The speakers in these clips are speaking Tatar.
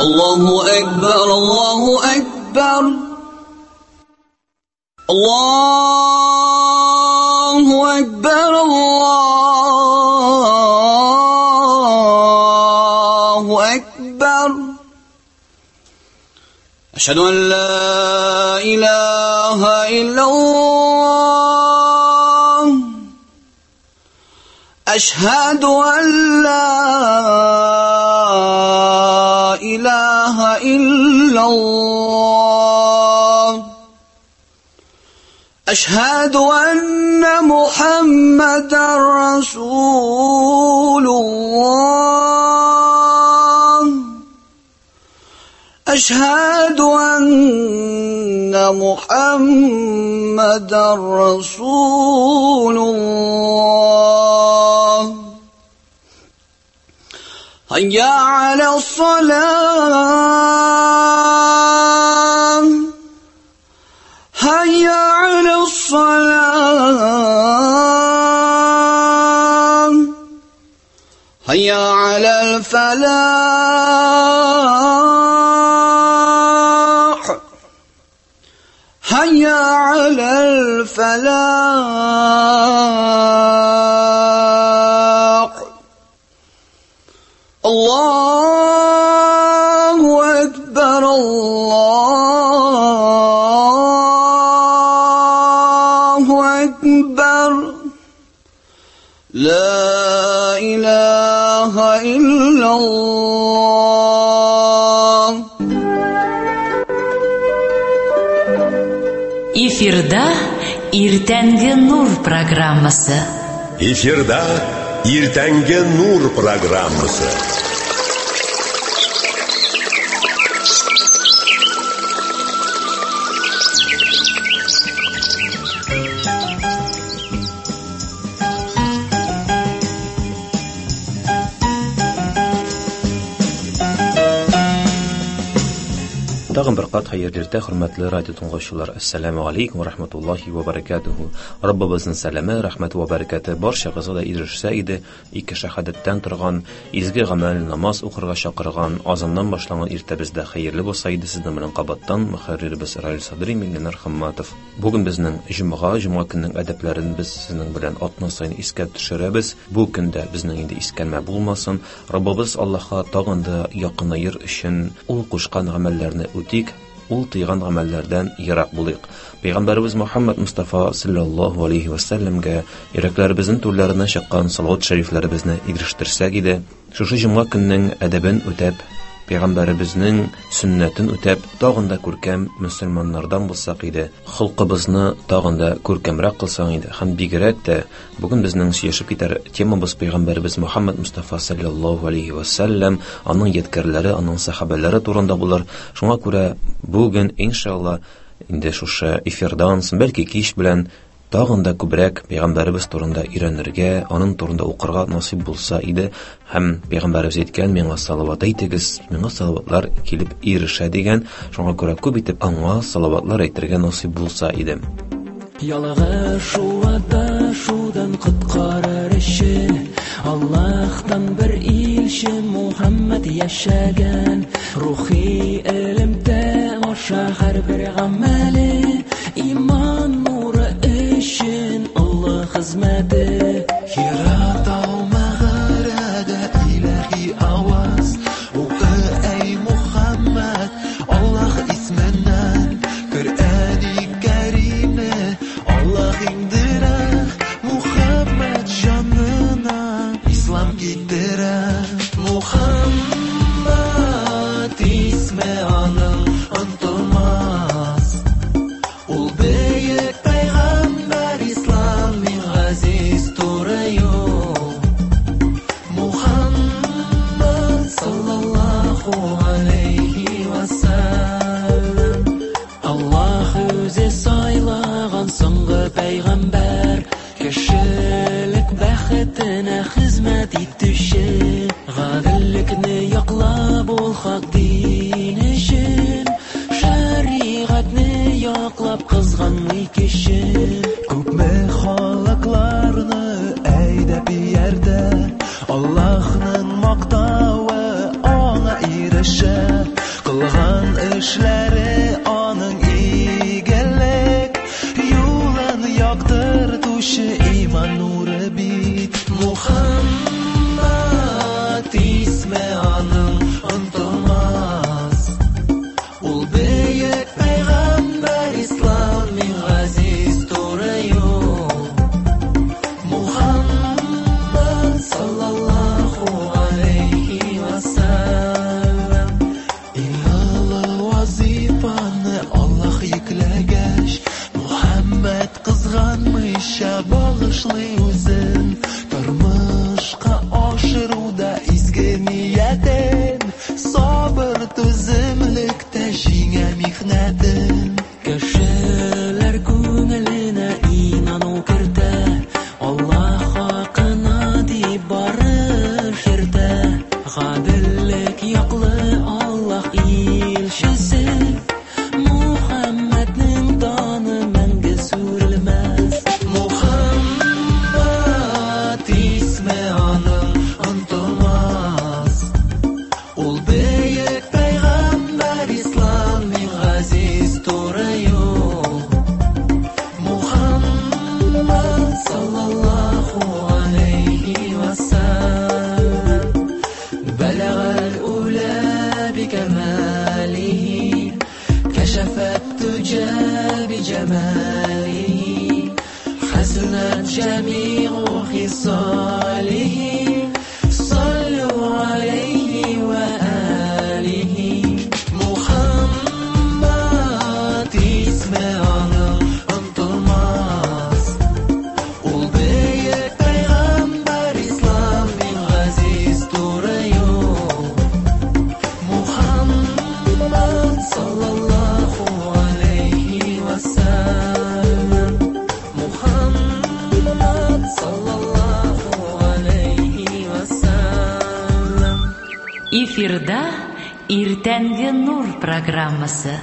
Allahu Akbar, Allahu Akbar. Allahu Akbar, Allahu Akbar. Ashhadu an la ilaha illallah. Ashhadu an la ilaha illallah. Ashhadu anna Muhammadan Rasulullah. Ashhadu anna Muhammadan Rasulullah. Hayya ala salam. Hayya ala salam. Hayya ala al-falah. Hayya ala al-falah. Allahu Akbar, Allahu Akbar. La ilaha illallah. Эфирда Иртәнге Нур программасы. Эфирда Иртәнге Нур программасы. Тагын бер кат хәерле иртә, хөрмәтле радио тыңлаучылар. Ассаламу алейкум ва рахматуллахи ва баракатуху. Раббыбызның сәламе, рәхмәте ва бәрәкәте барчагызга да ирешсә иде. Ике шәһадәттән торган изге гамәл, намаз укырга чакырган, азаннан башланган иртәбездә хәерле булса иде. Сезнең белән кабаттан мөхәрриребез Раил Садри, Миннәр Хамматов. Бүген безнең җомга, җомга көннең әдәпләрен без сезнең белән атна саен искә төшерәбез. Бу көндә безнең инде искәрмә булмасын. Раббыбыз Аллаһка тагын да якынаер өчен ул кушкан гамәлләрне үтик, ул тыйган гамәлләрдән ерак булыйк. Пәйгамбәребез Мухаммад Мустафа саллаллаһу алейхи ва сәлләмгә йөрәкләребезнең түрләренә чыккан салават шәрифләребезне ирештерсәк иде. Шушы җомга көннең әдәбен үтәп, Пәйгамбәребезнең сөннәтен үтәп, тагын да күркәм мөселманнардан булсак иде. Холкыбызны тагын да күркәмрәк кылсаң иде. Һәм бигрәк тә бүген безнең сөйләшеп китәр темабыз Пәйгамбәребез Мухаммад Мустафа саллаллаһу алейхи ва сәлләм, аның ядкәрләре, аның сахабәләре турында булыр. Шуңа күрә бүген иншалла инде шушы эфирдан соң, бәлки кич белән тагын да күбрәк Пәйгамбәребез турында өйрәнергә, аның турында укырга насыйп булса иде. Һәм Пәйгамбәребез әйткән, миңа салават әйтегез, миңа салаватлар килеп ирешә дигән. Шуңа күрә күп итеп аңа салаватлар әйтергә насыйп булса иде. Ялгышу адашудан коткарыр өчен Аллаһтан бер илче Мухаммад яшәгән. Рухи элемтә аша һәрбер гамәле иман нуры өчен Аллаһ хезмәте. Хира тау мәгарәдә илаһи аваз. Укы, әй Мухаммад, Аллаһ исменнән. Коръәни Кәримне Аллаһ иңдерә Мухаммад җанына ислам китерә. Мухаммад исме аның онытылмас. ирешә. Кылган эшләре аның игелек, юлын яктыртучы иман нуры бит. Мухаммад исме аның онытылмас. Ул бөек пәйгамбәр, ислам иң газиз туры юл. Мухаммад саллаллаху алейхи ва саллям. Иң олы вазифаны Аллаһ йөкләгәч, Мухаммад кызганмыйча багышлый үзен. Тормышка ашыруда изге ниятен, сабыр түземлектә җиңә михнәтен. Кешеләр күңеленә инану кертә, Аллаһ хакына дип барыш йөртә. Гаделлек яклы Аллаһ илчесе, Мухаммадның даны мәңге сүрелмәс. Мухаммад исме аның онытылмас. Ул бөек пәйгамбәр, ислам иң газиз туры юл. Мухаммад саллаллаху алейхи ва саллям. بلغ الأولى بكماله، كشف الدجى بجماله، حسنت جميع خصاله، صلوا عليه وآله. Мухаммад исме аның онытылмас. Ул бөек пәйгамбәр, ислам иң газиз туры юл. Мухаммад саллаллаху алейхи ва саллям. Мухаммад саллаллаху алейхи ва саллям. Эфирда Иртәнге Нур программасы.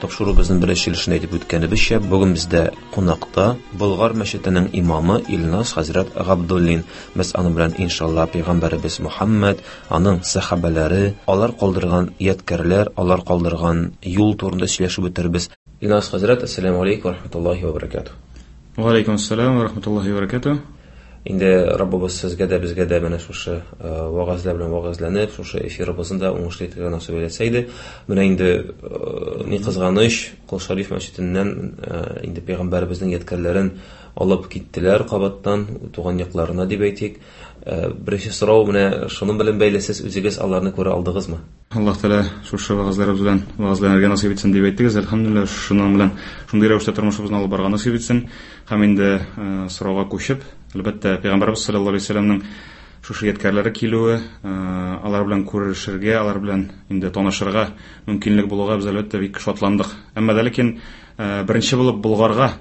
Тапшыруыбызның беренче өлешендә әйтеп үткәнебезчә, бүген бездә кунакта Болгар мәчетенең имамы Илназ хәзрәт Габдуллин. Без аның белән иншалла пәйгамбәребез Мухаммад, аның сәхабәләре, алар калдырган ядкәрләр, алар калдырган юл турында сөйләшеп үтербез. Илназ хәзрәт, ассаламу алейкум ва рахматуллахи ва баракатуh. Ва алейкум ассалам ва рахматуллахи ва баракатуh. Инде Раббыбыз сезгә дә, безгә дә менә шушы вагазлар белән вагазланып, шушы эфирыбызны да уңышлы итәргә насыйп әйләсә иде. Менә инде ни кызганыч, Кол Шариф мәчетеннән инде пәйгамбәребезнең ядкәрләрен алып киттеләр кабаттан туган якларына дип әйтик. Беренче сорау менә шуның белән бәйле, сез үзегез аларны күрә алдыгызмы? Аллаһ Тәгалә шушы вагазларыбыз белән вагазланырга насыйп итсен дип әйттегез. Әлхәмдүлилләһ, шуның белән шундый рәвештә тормышыбызны алып барырга насыйп итсен. Һәм инде сорауга күчеп, әлбәттә, Пәйгамбәребез саллаллаһу алейһи ва сәлләмнең шушы ядкәрләре килүе, алар белән күрешергә, алар белән инде танышырга мөмкинлек булуга без әлбәттә бик шатландык. Әмма дә ләкин беренче булып Болгарга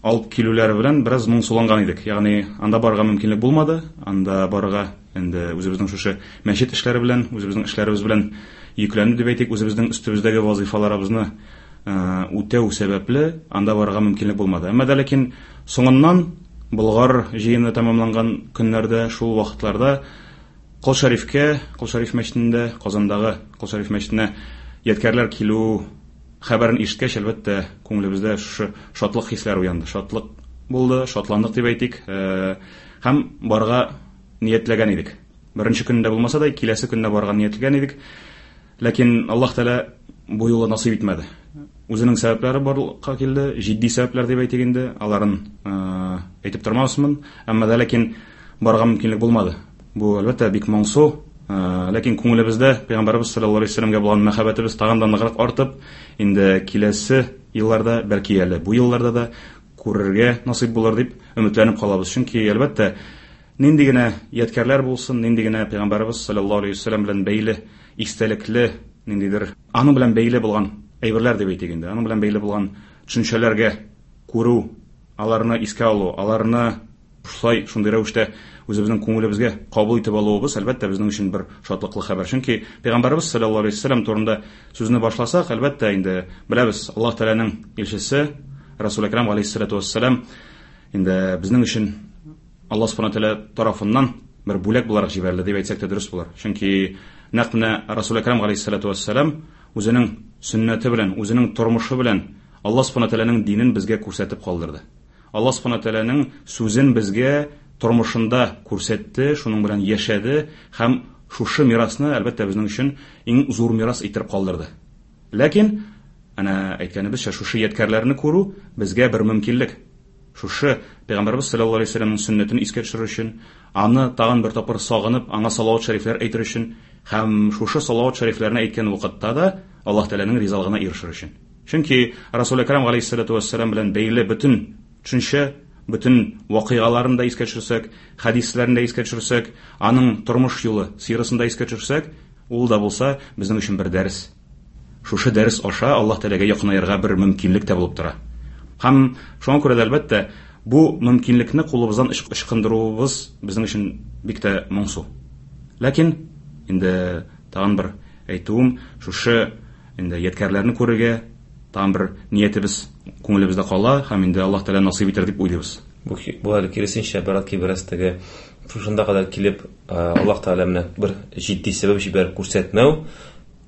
алып килүләре белән бераз моңсуланган идек. Ягъни анда барырга мөмкинлек булмады, анда барырга инде үзебезнең шушы мәчет эшләре белән, үзебезнең эшләребез белән йөкләнде дип әйтик, үзебезнең өстебездәге вазифаларыбызны үтәү сәбәпле анда барырга мөмкинлек булмады. Әмма дә ләкин соңыннан Болгар җыены тәмамланган көннәрдә, шул вакытларда Кол Шәрифкә, Кол Шәриф мәчетендә, Казандагы Кол Шәриф мәчетенә ядкәрләр килү хәбәрен ишеткәч, әлбәттә, күңелебездә шушы шатлык хисләре уянды. Шатлык булды, шатландык дип әйтик. Һәм барырга ниятләгән идек. Беренче көндә булмаса да, киләсе көндә барырга ниятләгән идек. Ләкин Аллаһ Тәгалә бу юлы насыйп итмәде. Үзенең сәбәпләре барлыкка килде, җитди сәбәпләр дип әйтик инде, аларын әйтеп тормасмын. Әмма дә ләкин барырга мөмкинлек булмады. Бу әлбәттә бик моңсу, ләкин күңелебездә Пәйгамбәребез саллаллаһу алейһи ва сәлләмгә булган мәхәббәтебез тагын да ныграк артып, инде киләсе елларда, бәлки әле бу елларда да күрергә насыйп булыр дип өметләнеп калабыз. Чөнки әлбәттә нинди генә ядкәрләр булсын, нинди генә Пәйгамбәребез саллаллаһу алейһи ва сәлләм белән бәйле истәлекле ниндидер аның белән бәйле булган әйберләр дип әйтик инде, аның белән бәйле булган төшенчәләргә күрү, аларны искә алу, аларны шулай шундый рәвештә үзебезнең күңелебезгә кабул итеп алуыбыз, әлбәттә, безнең өчен бер шатлыклы хәбәр. Чөнки Пәйгамбәребез саллаллаһу алейһи ва сәлләм турында сүзне башласак, әлбәттә, инде беләбез, Аллаһ Тәгаләнең илчесе, Расул Әкрам галәйһиссалату вассалам инде безнең өчен Аллаһ субхана тәгалә тарафыннан бер бүләк буларак җибәрелде дип әйтсәк тә дөрес булыр. Чөнки нәкъ менә Расул Әкрам галәйһиссалату вассалам үзенең сөннәте белән, үзенең тормышы белән Аллаһ субхана тәгаләнең динен безгә күрсәтеп калдырды. Аллаһ субхана тәгаләнең сүзен безгә тормышында күрсәтте, шуның белән яшәде һәм шушы мирасны, әлбәттә, безнең өчен иң зур мирас иттереп калдырды. Ләкин, әнә әйткәнебезчә, шушы ядкәрләрне күрү безгә бер мөмкинлек. Шушы Пәйгамбәрбез саллаллаһу алейһи вәсәлләмнең сөннәтен искә төшерер өчен, аны тагын бер тапкыр сагынып, аңа салават шәрифләр әйтер өчен һәм шушы салават шәрифләрне әйткән вакытта да Аллаһ Тәгаләнең ризалыгына ирешер өчен. Чөнки Расул Әкрам галәйһиссалату вәссәлам белән бәйле бөтен төшенчә, бөтен вакыйгаларын да искә төшерсәк, хәдисләрен дә искә төшерсәк, аның тормыш юлы, сирасын да искә төшерсәк, ул да булса безнең өчен бер дәрес. Шушы дәрес аша Аллаһ Тәгаләгә якынаерга бер мөмкинлек тә булып тора. Һәм шуңа күрә дә, әлбәттә, бу мөмкинлекне кулыбыздан ычкындыруыбыз безнең өчен бик тә моңсу. Ләкин инде тагын бер әйтүем, шушы инде ядкәрләрне күрергә тагын бер ниятебез күңелебездә кала һәм инде Аллаһ Тәгалә насыйп итәр дип уйлыйбыз. Бу әле киресенчә, бәлки бераз теге шушында кадәр килеп, Аллаһ Тәгалә менә бер җитди сәбәп җибәреп күрсәтмәү,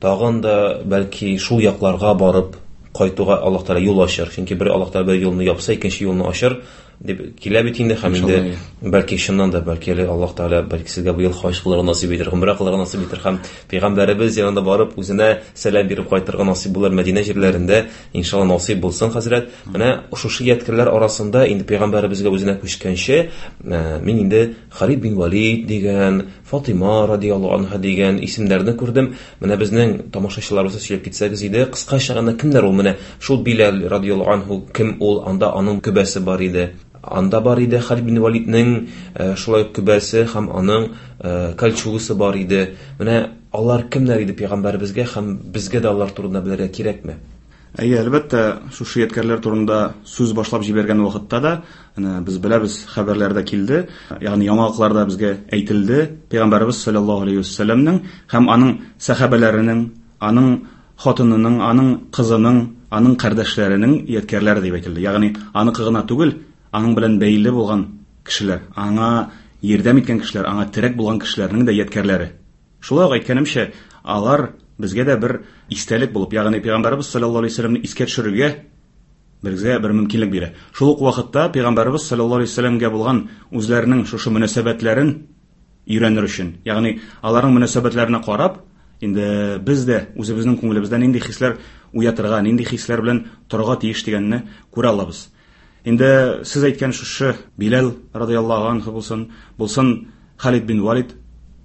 тагын да бәлки шул якларга барып кайтуга Аллаһ Тәгалә юл ачыр. Чөнки бер Аллаһ Тәгалә бер юлны япса, икенче юлны ачыр дип килә бит инде һәм инде бәлки чыннан да бәлки әле Аллаһ Тәгалә бәлки сезгә быел хаҗ кылырга насыйп итер, гомрә кылырга насыйп итер һәм пәйгамбәребез янында барып үзенә сәлам биреп кайтырга насыйп булыр Мәдинә җирләрендә, иншалла насыйп булсын, хәзрәт. Менә шушы ядкәрләр арасында инде пәйгамбәребезгә үзенә күчкәнче, мин инде Халид бин Валид дигән, Фатыйма радияллаһу анха дигән исемнәрне күрдем. Менә безнең тамашачыларыбызга сөйләп китсәгез иде, кыскача гына кемнәр ул менә шул Биләл радияллаһу анху кем ул? Анда аның көбәсе бар иде. Анда бар иде Халид бин Валиднең шулай ук көбәсе һәм аның кольчугасы бар иде. Менә алар кемнәр иде пәйгамбәребезгә һәм безгә дә алар турында белергә кирәкме? Әйе, әлбәттә, шушы ядкәрләр турында сүз башлап җибәргән вакытта да, әнә без беләбез, хәбәрләр дә килде, ягъни яңалыклар да безгә әйтелде. Пәйгамбәребез саллаллаһу алейһи вәсәлләмнең һәм аның сәхабәләренең, аның хатынының, аның кызының, аның кардәшләренең ядкәрләре дип әйтелде. Ягъни аныкы гына түгел, аның белән бәйле булган кешеләр, аңа ярдәм иткән кешеләр, аңа терәк булган кешеләрнең дә ядкәрләре. Шулай ук әйткәнемчә, алар безгә дә бер истәлек булып, ягъни Пәйгамбәребез саллаллаһу алейһи вәсәлләмне искә төшерергә безгә бер мөмкинлек бирә. Шул ук вакытта Пәйгамбәребез саллаллаһу алейһи вәсәлләмгә булган үзләренең шушы мөнәсәбәтләрен өйрәнер өчен, ягъни аларның мөнәсәбәтләренә карап, инде без дә үзебезнең күңелебездә нинди хисләр уятырга, нинди хисләр белән торырга тиеш дигәнне күрә алабыз. Инде сез әйткән шушы Биләл радияллаһу анху булсын, булсын Халид бин Валид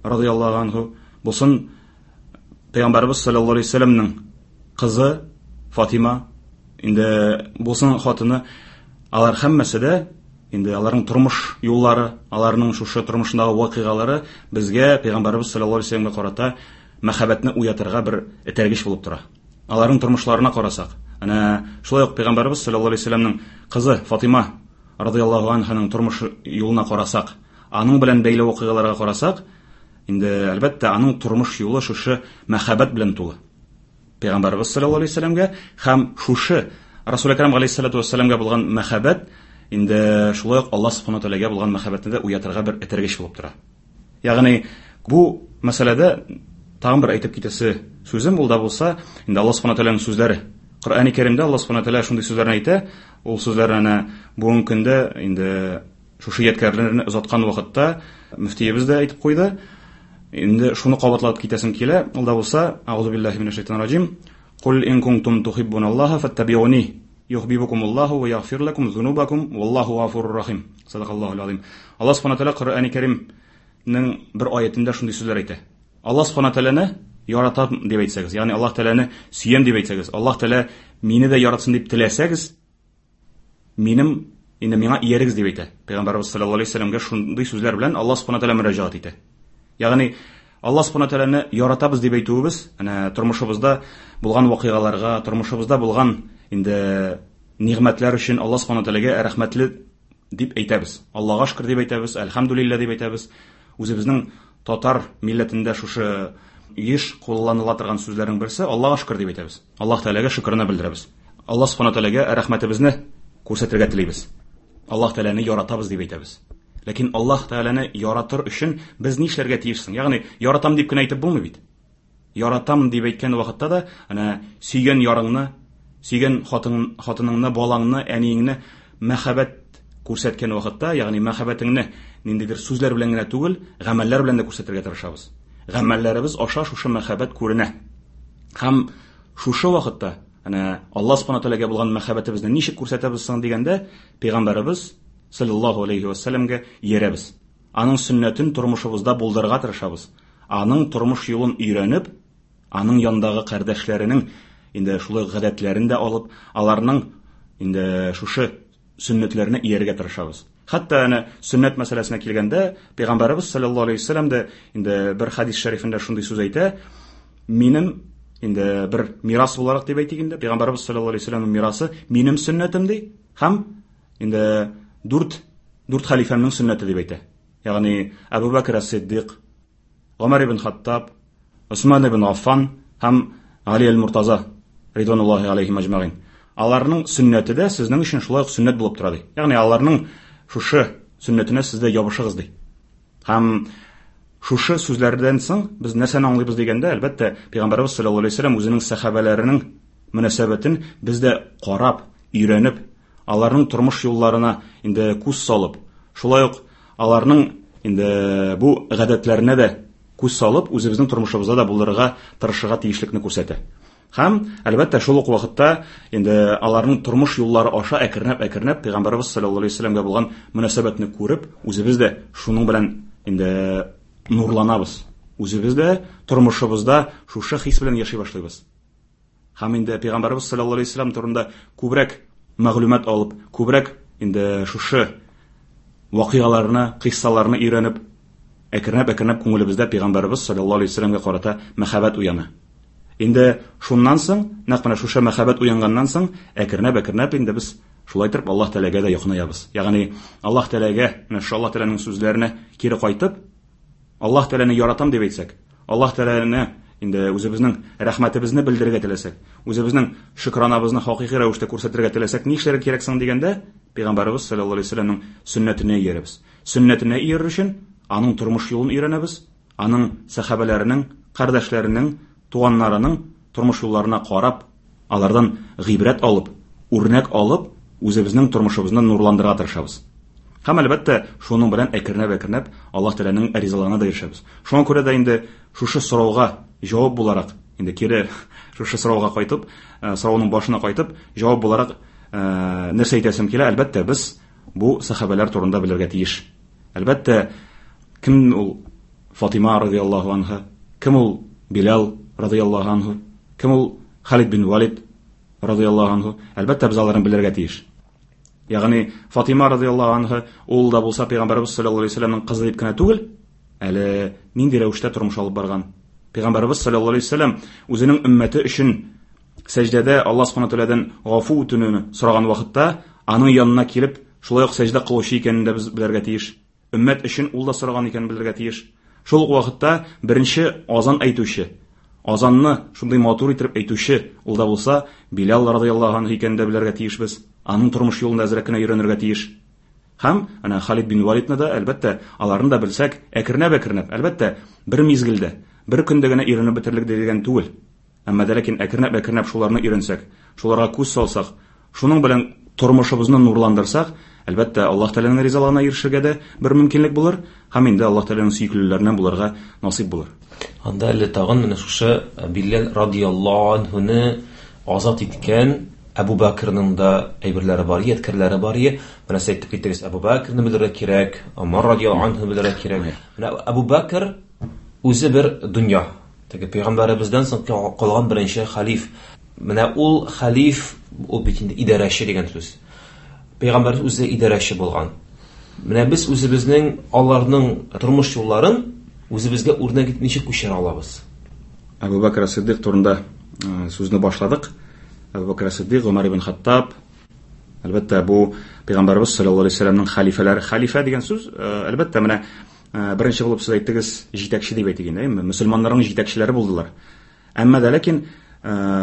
радияллаһу анху, булсын Пәйгамбәребез саллаллаһу алейһи вәсәлләмнең кызы Фатима, инде булсын хатыны, алар һәммәсе дә инде аларның тормыш юллары, аларның шушы тормышындагы вакыйгалары безгә Пәйгамбәребез саллаллаһу алейһи вәсәлләмгә карата мәхәббәтне уятырга бер этәргеч булып тора. Аларның тормышларына карасак, әнә шулай ук Пәйгамбәребез саллаллаһу алейһи вәсәлләмнең кызы Фатима радияллаһу анһаның тормыш юлына карасак, аның белән бәйле вакыйгаларга карасак, инде әлбәттә аның тормыш юлы шушы мәхәббәт белән тулы. Пәйгамбәребез саллаллаһу алейһи вәсәлләмгә һәм шушы Расул Әкрам галәйһиссалату вәссәламгә булган мәхәббәт инде шулай ук Аллаһ субхана тәгаләгә булган мәхәббәтне дә уятырга бер этәргеч булып тора. Ягъни бу мәсьәләдә тагын бер әйтеп китәсе сүзем ул да булса, инде Аллаһ субхана тәгаләнең сүзләре. Коръәни Кәримдә Аллаһ субхана тәгалә шундый сүзләрне әйтә, ул сүзләрне әнә бүгенге көндә инде шушы ядкәрләрне озаткан вакытта мөфтиебез дә әйтеп куйды. Инде шуны кабатлап китәсем килә, ул да булса, аузу биллаһи минәш шайтанир раҗим. Кул ин кунтум тухиббуналлаһа фаттабиуни юхбибукумуллаһу ва ягфир лакум зунубакум валлаһу гафурur рахим. Садакаллаһу азим. Аллаһ субхана тәгалә Коръәни Кәримнең бер аятендә шундый сүзләр әйтә. Аллаһ субхана тәгаләне яратам дип әйтсәгез, ягъни Аллаһ тәгаләне сөям дип әйтсәгез, Аллаһ тәгалә мине дә яратсын дип теләсәгез, минем инде миңа иярегез дип әйтә. Пәйгамбәрбез саллаллаһу алейһи вәсәлләмгә шундый сүзләр белән Аллаһ субхана тәгалә мөрәҗәгать итә. Ягъни Аллаһ субхана тәгаләне яратабыз дип әйтүебез, әнә тормышыбызда булган вакыйгаларга, тормышыбызда булган инде нигъмәтләр өчен Аллаһ субхана тәгаләгә рәхмәтле дип әйтәбез. Аллаһка шөкер дип әйтәбез, әлхәмдүлилләһ дип әйтәбез. Үзебезнең татар милләтендә шушы еш кулланыла торган сүзләрнең берсе Аллаһка шөкер дип әйтәбез. Аллаһ Тәгаләгә шөкерне белдерәбез. Аллаһ субхана тәгаләгә рәхмәтебезне күрсәтергә телибез. Аллаһ Тәгаләне яратабыз дип әйтәбез. Ләкин Аллаһ Тәгаләне яратыр өчен без нишләргә тиеш соң? Ягъни яратам дип кенә әйтеп булмый бит. Яратам дип әйткән вакытта да, әнә сөйгән ярыңны, сөйгән хатын, хатыныңны, балаңны, әниеңне мәхәббәт күрсәткән вакытта, ягъни мәхәббәтеңне ниндидер сүзләр белән генә түгел, гамәлләр белән дә күрсәтергә тырышабыз. Гамәлләребез аша шушы мәхәббәт күренә. Һәм шушы вакытта әнә Аллаһ Субхану тәгаләгә булган мәхәббәтебезне ничек күрсәтәбез соң дигәндә, пәйгамбәребез саллаллаһу алейхи вәссәламгә иярәбез. Аның сөннәтен тормышыбызда булдырырга тырышабыз. Аның тормыш юлын өйрәнеп, аның янындагы кардәшләренең инде шулай гадәтләрен дә алып, аларның инде шушы сөннәтләренә иярергә тырышабыз. Хәтта әнә сөннәт мәсьәләсенә килгәндә, Пәйгамбәребез саллаллаһу алейһи вәсәлләм дә инде бер хадис шәрифендә шундый сүз әйтә: "Минем инде бер мирас буларак дип әйтик инде, Пәйгамбәребез саллаллаһу алейһи вәсәлләмнең мирасы минем сөннәтем ди һәм инде дүрт дүрт хәлифәмнең сөннәте дип әйтә. Ягъни Әбу Бәкр ас-Сиддик, Гомәр ибн Хаттаб, Усман ибн Аффан һәм Гали әл-Муртаза ридвануллаһи алейһим әҗмәгыйн. Аларның сөннәте дә сезнең өчен шулай ук сөннәт булып тора ди. Ягъни аларның шушы сөннәтенә сез дә ябышыгыз ди. Һәм шушы сүзләрдән соң без нәрсәне аңлыйбыз дигәндә, әлбәттә, Пәйгамбәребез саллаллаһу алейһи вәсәлләм үзенең сәхабәләренең мөнәсәбәтен без дә карап, өйрәнеп, аларның тормыш юлларына инде күз салып, шулай ук аларның инде бу гадәтләренә дә күз салып, үзебезнең тормышыбызда да булдырырга тырышырга тиешлекне күрсәтә. Һәм, әлбәттә, шул ук вакытта инде аларның тормыш юллары аша әкренләп-әкренләп Пәйгамбәребез саллаллаһу алейһи вәсәлләмгә булган мөнәсәбәтне күреп, үзебез дә шуның белән инде нурланабыз. Үзебез дә тормышыбызда шушы хис белән яши башлыйбыз. Һәм инде Пәйгамбәребез саллаллаһу алейһи вәсәлләм турында күбрәк мәгълүмат алып, күбрәк инде шушы вакыйгаларны, кыйссаларны өйрәнеп, әкренләп-әкренләп күңелебездә Пәйгамбәребез саллаллаһу алейһи вәсәлләмгә карата мәхәббәт уяна. Инде шуннан соң, нәкъ менә шушы мәхәббәт уянганнан соң, әкренләп-әкренләп инде без шулай итеп Аллаһ Тәгаләгә дә якынаябыз. Ягъни Аллаһ Тәгаләгә, менә шушы Аллаһ Тәгаләнең сүзләренә кире кайтып, Аллаһ Тәгаләне яратам дип әйтсәк, Аллаһ Тәгаләне инде үзебезнең рәхмәтебезне белдерергә теләсәк, үзебезнең шөкранабызны хакыйкый рәвештә күрсәтергә теләсәк, ни эшләргә кирәк соң дигәндә, Пәйгамбәребез саллаллаһу алейһи вәсәлләмнең сөннәтенә иярәбез. Сөннәтенә иярер өчен аның тормыш юлын өйрәнәбез, аның сәхабәләренең, кардәшләренең, туганнарының тормыш юлларына карап, алардан гыйбрәт алып, үрнәк алып, үзебезнең тормышыбызны нурландырырга тырышабыз. Һәм әлбәттә, шуның белән әкренләп-әкренләп Аллаһ Тәгаләнең ризалыгына да ирешәбез. Шуңа күрә дә инде шушы сорауга җавап буларак, инде кире шушы сорауга кайтып, сорауның башына кайтып, җавап буларак нәрсә әйтәсем килә, әлбәттә, без бу сәхабәләр турында белергә тиеш. Әлбәттә, кем ул Фатима радияллаһу анха, кем ул Билал радияллаһу анху, кем ул Халид бин Валид радияллаһу анху, әлбәттә, без аларны белергә тиеш. Ягъни Фатима радияллаһу анха ул да булса пәйгамбәребез саллаллаһу алейһи вәсәлләмнең кызы дип кенә түгел, әле нинди рәвештә тормыш алып барган. Пәйгамбәребез саллаллаһу алейһи вәсәлләм үзенең өммәте өчен сәҗдәдә Аллаһ субхана тәгаләдән гафу үтенүне сораган вакытта, аның янына килеп, шулай ук сәҗдә кылучы икәнен дә без белергә тиеш. Өммәт өчен ул да сораган икәнен белергә тиеш. Шул ук вакытта беренче азан әйтүче, азанны шундый матур итеп әйтүче ул да булса Билал радияллаһу анһу икәнен дә белергә тиешбез. Аның тормыш юлын да әзрәк кенә өйрәнергә тиеш. Һәм әнә Халид бин Валидны да, әлбәттә, аларны да белсәк, әкренләп-әкренләп, әлбәттә, бер мизгелдә, бер көндә генә өйрәнеп бетерлек дигән түгел. Әмма дә ләкин әкренләп-әкренләп шуларны өйрәнсәк, шуларга күз салсак, шуның белән тормышыбызны нурландырсак, әлбәттә, Аллаһ Тәгаләнең ризалыгына ирешергә дә бер мөмкинлек булыр һәм инде Аллаһ Тәгаләнең сөеклеләреннән булырга насыйп булыр. Анда әле тагын менә шушы Биләл радияллаһу анһуны азат иткән Әбу Бәкрның да әйберләре бар, ядкәрләре бар. Менә сез әйтеп киттегез, Әбу Бәкрны белергә кирәк, Омар радияллаһу анһуны белергә кирәк. Менә Әбу Бәкр үзе бер дөнья. Теге пәйгамбәребездән соң калган беренче халиф. Менә ул халиф, ул бит инде идарәче дигән сүз. Пәйгамбәребез үзе идарәче булган. Менә без үзебезнең аларның тормыш юлларын үзебезгә үрнәк итеп ничек күчерә алабыз? Әбу Бәкр Сиддик турында сүзне башладык. Әбу Бәкр Сиддик, Гомәр ибн Хаттаб, әлбәттә, бу пәйгамбәребез саллаллаһу алейһи вәсәлләмнең халифәләре. Халифә дигән сүз, әлбәттә, менә беренче булып сез әйттегез, җитәкче дип әйтик инде, әйеме? Мөселманнарның җитәкчеләре булдылар. Әмма дә ләкин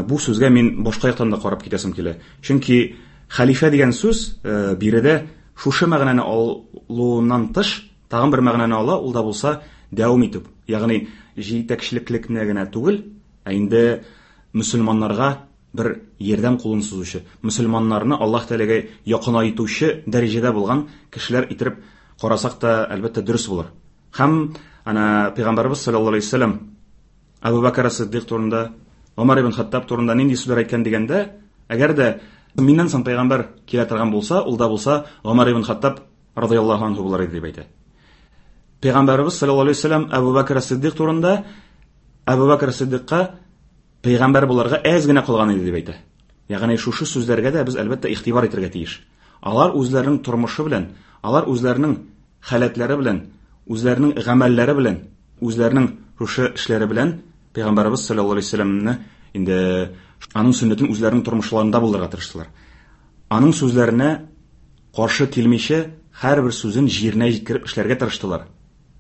бу сүзгә мин башка яктан да карап китәсем килә. Чөнки Хәлифә дигән сүз биредә шушы мәгънәне алуыннан тыш тагын бер мәгънәне ала, ул да булса дәвам итү. Ягъни җитәкчелекне генә түгел, ә инде мөселманнарга бер ярдәм кулын сузучы, мөселманнарны Аллаһ Тәгаләгә якынайтучы дәрәҗәдә булган кешеләр иттереп карасак та, әлбәттә, дөрес булыр. Һәм ана Пәйгамбәрбез саллаллаһу алейһи вәсәлләм Әбу Бәкр Сиддик турында, Гомәр ибн Хаттаб турында нинди сүзләр әйткән дигәндә, әгәр дә миннән соң пәйгамбәр килә торган булса, ул да булса Гомәр ибн Хаттаб радыяллаһу анһу булыр иде дип әйтә. Пәйгамбәрбез саллаллаһу алейһи вәсәлләм Әбу Бәкр Сиддик турында Әбу Бәкр Сиддикка пәйгамбәр буларга әз генә калган иде дип әйтә. Ягъни шушы сүзләргә дә без әлбәттә игътибар итәргә тиеш. Алар үзләренең тормышы белән, алар үзләренең халәтләре белән, үзләренең гамәлләре белән, үзләренең шушы эшләре белән Пәйгамбәребез саллаллаһу алейһи вәсәлләмне инде аның сөннәтен үзләренең тормышларында булдырырга тырыштылар. Аның сүзләренә каршы килмичә, һәрбер сүзен җиренә җиткереп эшләргә тырыштылар.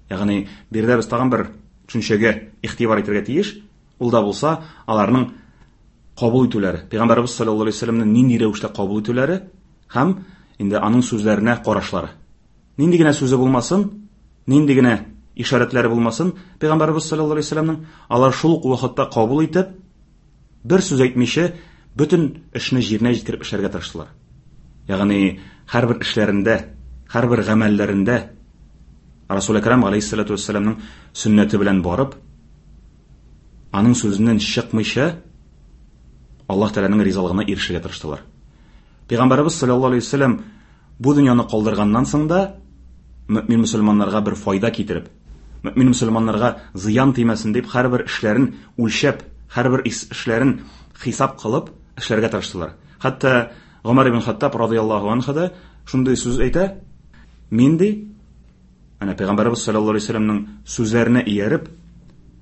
Ягъни биредә без тагын бер төшенчәгә игътибар итәргә тиеш. Ул да булса, аларның кабул итүләре, Пәйгамбәребез саллаллаһу алейһи вәсәлләмне нинди рәвештә кабул итүләре һәм инде аның сүзләренә карашлары. Нинди генә сүзе булмасын, нинди генә ишарәтләре булмасын, Пәйгамбәребез саллаллаһу алейһи вәсәлләмнең алар шул ук вакытта кабул итеп, бер сүз әйтмичә, бөтен эшне җиренә җиткереп эшләргә тырыштылар. Ягъни һәрбер эшләрендә, һәрбер гамәлләрендә Расул Әкрам алейһиссалату вәссәламның сөннәте белән барып, аның сүзеннән чыкмыйча Аллаһ Тәгаләнең ризалыгына ирешергә тырыштылар. Пәйгамбәребез саллаллаһу алейһи вәсәлләм бу дөньяны калдырганнан соң да мөмин мөселманнарга бер файда китереп, мөмин мөселманнарга зыян тимәсен дип һәрбер эшләрен үлчәп, һәрбер эшләрен хисап кылып эшләргә тырыштылар. Хәтта Гомәр ибн Хаттаб радыяллаһу анһу да шундый сүз әйтә: "Мин ди, әнә Пәйгамбәребез саллаллаһу алейһи вәсәлләмнең сүзләренә ияреп,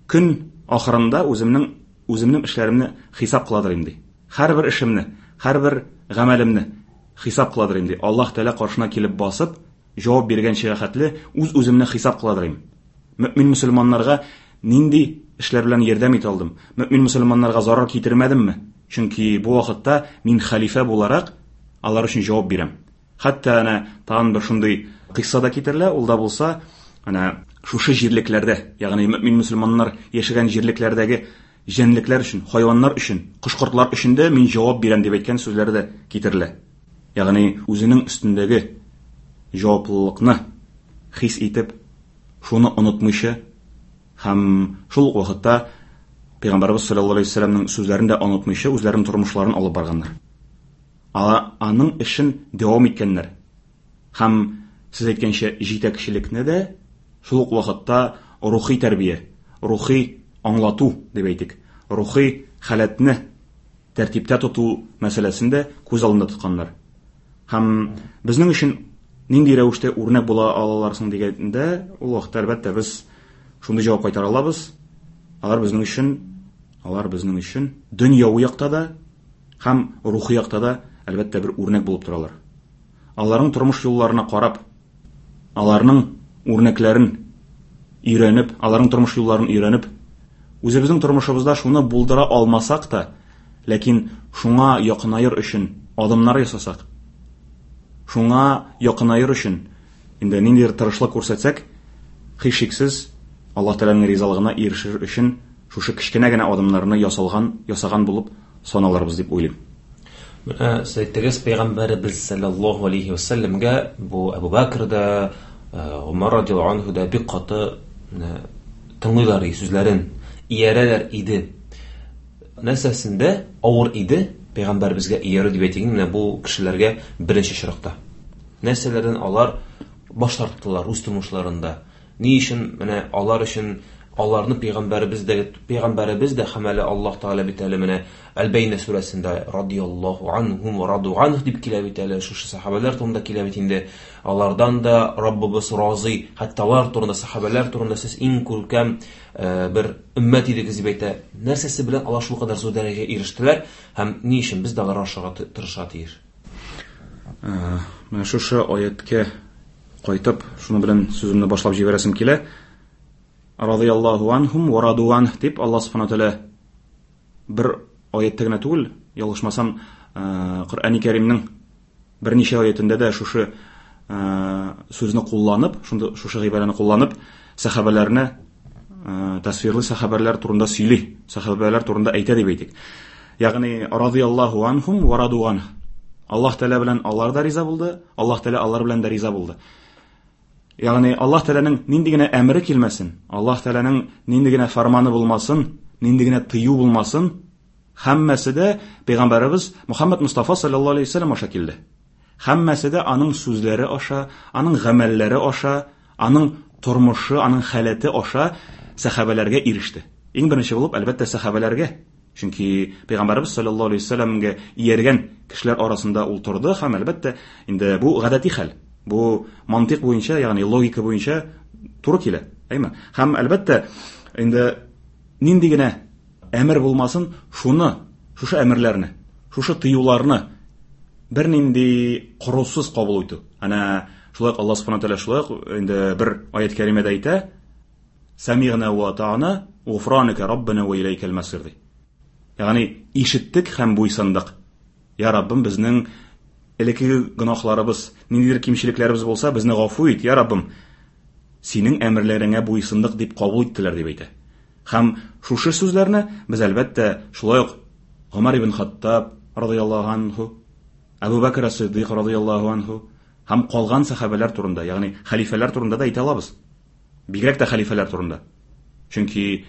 көн ахырында үземнең үземнең эшләремне хисап кыладыр инде. Һәрбер эшемне, һәрбер гамәлемне хисап кыладыр инде. Аллаһ Тәгалә каршына килеп басып, җавап биргәнчегә хәтле үз-үземне хисап кыладыр инде. Мөмин мөселманнарга нинди эшләр белән ярдәм итә алдым? Мөмин мөселманнарга зарар китермәдемме? Чөнки бу вакытта мин хәлифә буларак алар өчен җавап бирәм. Хәтта әнә тагын бер шундый кыйсса да китерелә, ул да булса, әнә шушы җирлекләрдә, ягъни мөмин мөселманнар яшәгән җирлекләрдәге җәнлекләр өчен, хайваннар өчен, кош-кортлар өчен дә мин җавап бирәм дип әйткән сүзләре дә китерелә. Ягъни үзенең өстендәге җаваплылыкны хис итеп, шуны онытмыйча һәм шул ук вакытта Пәйгамбәрбез саллаллаһу алейһи вәсәлләмнең сүзләрен дә онытмыйча үзләренең тормышларын алып барганнар. Аның эшен дәвам иткәннәр. Һәм сез әйткәнчә, җитәкчелекне дә шул ук вакытта рухи тәрбия, рухи аңлату дип әйтик, рухи халәтне тәртиптә тоту мәсьәләсен дә күз алдында тотканнар. Һәм безнең өчен нинди рәвештә үрнәк була алалар соң дигәндә, ул вакытта әлбәттә без шундый җавап кайтара алабыз. Алар безнең өчен, алар безнең өчен дөньяви якта да һәм рухи якта да әлбәттә бер үрнәк булып торалар. Аларның тормыш юлларына карап, аларның үрнәкләрен өйрәнеп, аларның тормыш юлларын өйрәнеп, үзебезнең тормышыбызда шуны булдыра алмасак та, ләкин шуңа якынаер өчен адымнар ясасак, шуңа якынаер өчен инде ниндидер тырышлык күрсәтсәк, һичшиксез Аллаһ Тәгаләнең ризалыгына ирешер өчен шушы кечкенә генә адымнарны ясалган, ясаган булып саналырбыз дип уйлыйм. Менә сез әйттегез, Пәйгамбәребез саллаллаһу алейһи ва сәлләмгә бу Әбу Бәкр дә, Гомәр радиаллаһу анһу да бик каты менә тыңлыйлар иде сүзләрен, иярәләр иде. Нәрсәсендә авыр иде Пәйгамбәребезгә иярү дип әйтик, менә бу кешеләргә беренче очракта. Нәрсәләрдән алар баш тарттылар үз тормышларында? Ни өчен менә алар өчен аларны пәйгамбәребез дә пәйгамбәребез дә һәм әле Аллаһ Тәгалә бит әле менә Әл-Бәйнә сүрәсендә радияллаһу анһум ва раду анһу дип килә бит әле, шушы сахабәләр турында килә бит инде. Алардан да Раббыбыз разый, хәтта алар турында, сахабәләр турында сез иң күркәм бер өммәт идегез дип әйтә. Нәрсәсе белән алар шулкадәр зур дәрәҗәгә ирештеләр һәм ни өчен без дә аларга охшарга тырышырга тиеш? Менә шушы аятькә кайтып, шуны белән сүземне башлап җибәрәсем килә. Радияллаһу анһум ва раду анһ дип Аллаһ субхана тәгалә бер аятьтә генә түгел, ялгышмасам, Коръәни Кәримнең берничә аятендә дә шушы сүзне кулланып, шунда шушы гыйбарәне кулланып, сәхабәләрне тасвирлы сәхабәләр турында сөйли, сәхабәләр турында әйтә дип әйтик. Ягъни радияллаһу анхум ва раду анх. Аллаһ Тәгалә белән алар да риза булды, Аллаһ Тәгалә алар белән дә риза булды. Ягъни Аллаһ Тәгаләнең нинди генә әмере килмәсен, Аллаһ Тәгаләнең нинди генә фарманы булмасын, нинди генә тыю булмасын, һәммәсе дә пәйгамбәребез Мухаммад Мустафа саллаллаһу алейһи вәсәлләм аша килде. Һәммәсе дә аның сүзләре аша, аның гамәлләре аша, аның тормышы, аның халәте аша сәхабәләргә иреште. Иң беренче булып, әлбәттә, сәхабәләргә. Чөнки пәйгамбәребез саллаллаһу алейһи вәсәлләмгә ияргән кешеләр арасында ул торды һәм әлбәттә, инде бу гадәти хәл. Бу мантыйк буенча, ягъни логика буенча туры килә, әйме? Һәм әлбәттә, инде нинди генә әмер булмасын, шуны, шушы әмерләрне, шушы тыюларны бернинди корусыз кабул итү. Әнә шулай ук Аллаһ субхана тәгалә шулай ук инде бер аят кәримәдә әйтә: Самигъна ва ата'на, гуфранaka раббана ва иләйкәл масир ди. Ягъни ишеттек һәм буйсындык. Я Раббым, безнең элеккеге гөнаһларыбыз, ниндидер кимчелекләребез булса, безне гафу ит, я Раббым. Синең әмерләреңә буйсындык дип кабул иттеләр дип әйтә. Һәм шушы сүзләрне без әлбәттә шулай ук Гомар ибн Хаттаб радыяллаһу анху, Әбу Бәкр ас-Сиддик радыяллаһу анху һәм калган сәхабәләр турында, ягъни хәлифәләр турында да әйтә алабыз. Бигрәк тә хәлифәләр турында. Чөнки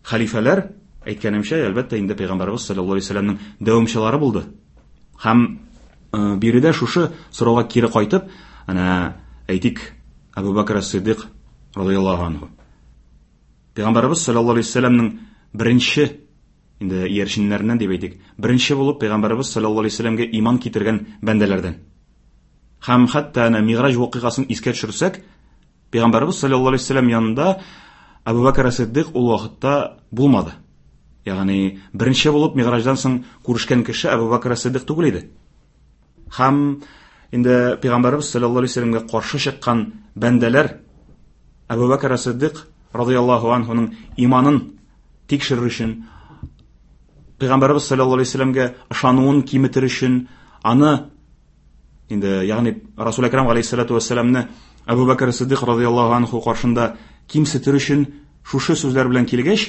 хәлифәләр, әйткәнемчә, әлбәттә, инде Пәйгамбәребез саллаллаһу алейһи вәсәлләмнең дәвамчылары булды. Һәм биредә шушы сорауга кире кайтып, әнә әйтик, Әбу Бәкр ас-Сиддик радыяллаһу анху. Пәйгамбәребез саллаллаһу алейһи вәсәлләмнең беренче инде иярченнәреннән дип әйтик, беренче булып Пәйгамбәребез саллаллаһу алейһи вәсәлләмгә иман китергән бәндәләрдән. Һәм хәтта әнә Миграҗ вакыйгасын искә төшерсәк, Пәйгамбәребез саллаллаһу алейһи вәсәлләм янында Әбу Бәкр ас-Сиддик ул вакытта булмады. Ягъни беренче булып Миграҗдан соң күрешкән кеше Әбу Бәкр ас-Сиддик түгел иде. Һәм инде Пәйгамбәребез саллаллаһу алейһи вәсәлләмгә каршы чыккан бәндәләр Әбу Бәкр ас-Сиддик радыяллаһу анһуның иманын тикшерер өчен, Пәйгамбәребез саллаллаһу алейһи вәсәлләмгә ышануын киметер өчен, аны инде, ягъни Расул Әкрам галәйһиссалату вәссәламны Әбу Бәкр Сиддик радыяллаһу анху каршында кимсетер өчен шушы сүзләр белән килгәч,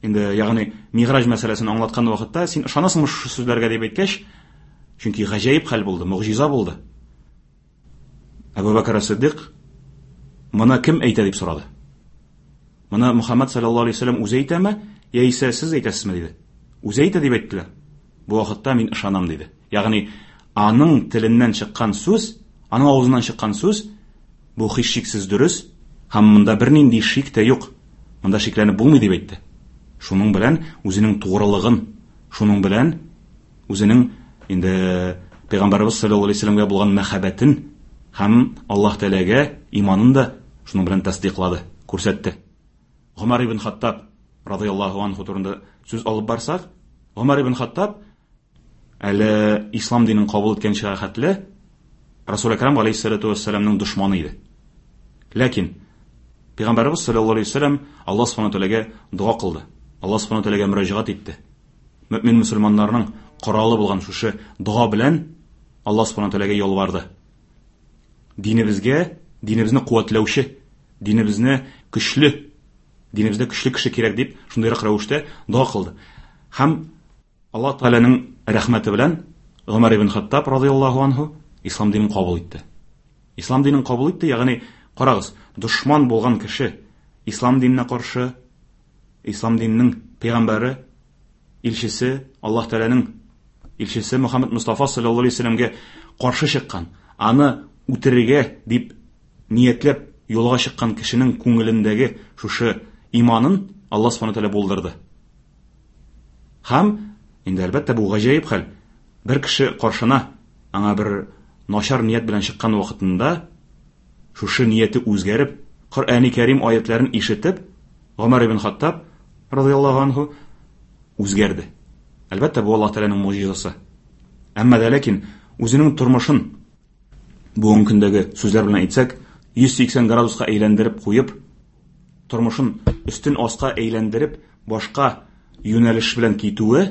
инде, ягъни Миграҗ мәсьәләсен аңлаткан вакытта, син ышанасыңмы шушы сүзләргә дип әйткәч, чөнки гаҗәеп хәл булды, могҗиза булды. Әбу Бәкр Сиддик моны кем әйтә дип сорады. Моны Мухаммад саллаллаһу алейһи вәсәлләм үзе әйтәме, яисә сез әйтәсезме диде. Үзе әйтә дип әйттеләр. Бу вакытта мин ышанам диде. Ягъни аның теленнән чыккан сүз, аның авызыннан чыккан сүз бу һичшиксез дөрес һәм монда бернинди шик тә юк. Монда шикләнеп булмый дип әйтте. Шуның белән үзенең тугрылыгын, шуның белән үзенең инде Пәйгамбәребез саллаллаһу алейһи вәсәлләмгә булган мәхәббәтен һәм Аллаһ Тәгаләгә иманын да шуның белән тасдыйклады, күрсәтте. Гомар ибн Хаттаб радыяллаһу анху турында сүз алып барсак, Гомар ибн Хаттаб әле ислам динен кабул иткәнчегә хәтле Расул Әкрам галәйһиссалату вәссәламның дошманы иде. Ләкин Пәйгамбәребез саллаллаһу алейһи вәсәлләм Аллаһ субхана тәгаләгә дога кылды. Аллаһ субхана тәгаләгә мөрәҗәгать итте. Мөмин мөселманнарның коралы булган шушы дога белән Аллаһ субхана тәгаләгә ялварды. Динебезгә, динебезне куәтләүче, динебезне көчле, динебездә көчле кеше кирәк дип, шундыйрак рәвештә дога кылды. Һәм Аллаһ Тәгаләнең рәхмәте белән Гомәр ибн Хаттаб радыяллаһу анһу ислам динен кабул итте. Ислам динен кабул итте, ягъни карагыз, дошман булган кеше ислам диненә каршы, ислам диненең пәйгамбәре, илчесе, Аллаһ Тәгаләнең илчесе Мухаммад Мустафа саллаллаһу алейһи вәсәлләмгә каршы чыккан, аны үтерергә дип ниятләп юлга чыккан кешенең күңелендәге шушы иманын Аллаһ субхана тәгалә булдырды. Һәм инде әлбәттә бу гаҗәеп хәл. Бер кеше каршына аңа бер начар ният белән чыккан вакытында шушы нияте үзгәреп, Коръәни Кәрим аятларын ишетеп, Гомәр ибн Хаттаб радыяллаһу анһу үзгәрде. Әлбәттә, бу Аллаһ Тәгаләнең муҗизасы. Әмма дә ләкин үзенең тормышын бүгенге көндәге сүзләр белән әйтсәк, 180 градуска әйләндереп куеп, тормышын өстен аска әйләндереп, башка юнәлеш белән китүе,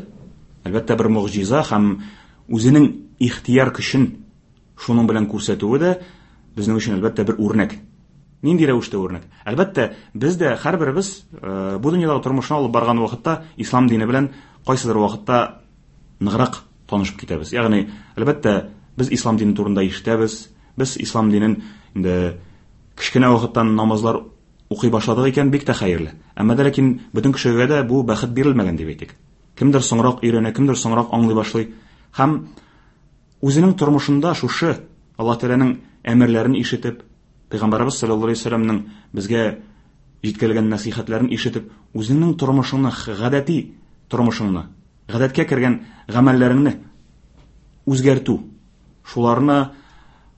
әлбәттә, бер могҗиза һәм үзенең ихтыяр көчен шуның белән күрсәтүе дә безнең өчен, әлбәттә, бер үрнәк. Нинди рәвештә үрнәк? Әлбәттә, без дә һәрберебез бу дөньядагы тормышны алып барган вакытта ислам дине белән кайсыдыр вакытта ныграк танышып китәбез. Ягъни, әлбәттә, без ислам дине турында ишетәбез, без ислам динен инде кечкенә вакыттан намазлар укый башладык икән, бик тә хәерле. Әмма дә ләкин бөтен кешегә дә бу бәхет бирелмәгән дип әйтик. Кемдер соңрак өйрәнә, кемдер соңрак аңлый башлый. Һәм үзенең тормышында шушы Аллаһ Тәгаләнең әмерләрен ишетеп, Пәйгамбәребез саллаллаһу алейһи вәсәлләмнең безгә җиткерелгән нәсыйхәтләрен ишетеп, үзеңнең тормышыңны, гадәти тормышыңны, гадәткә кергән гамәлләреңне үзгәртү, шуларны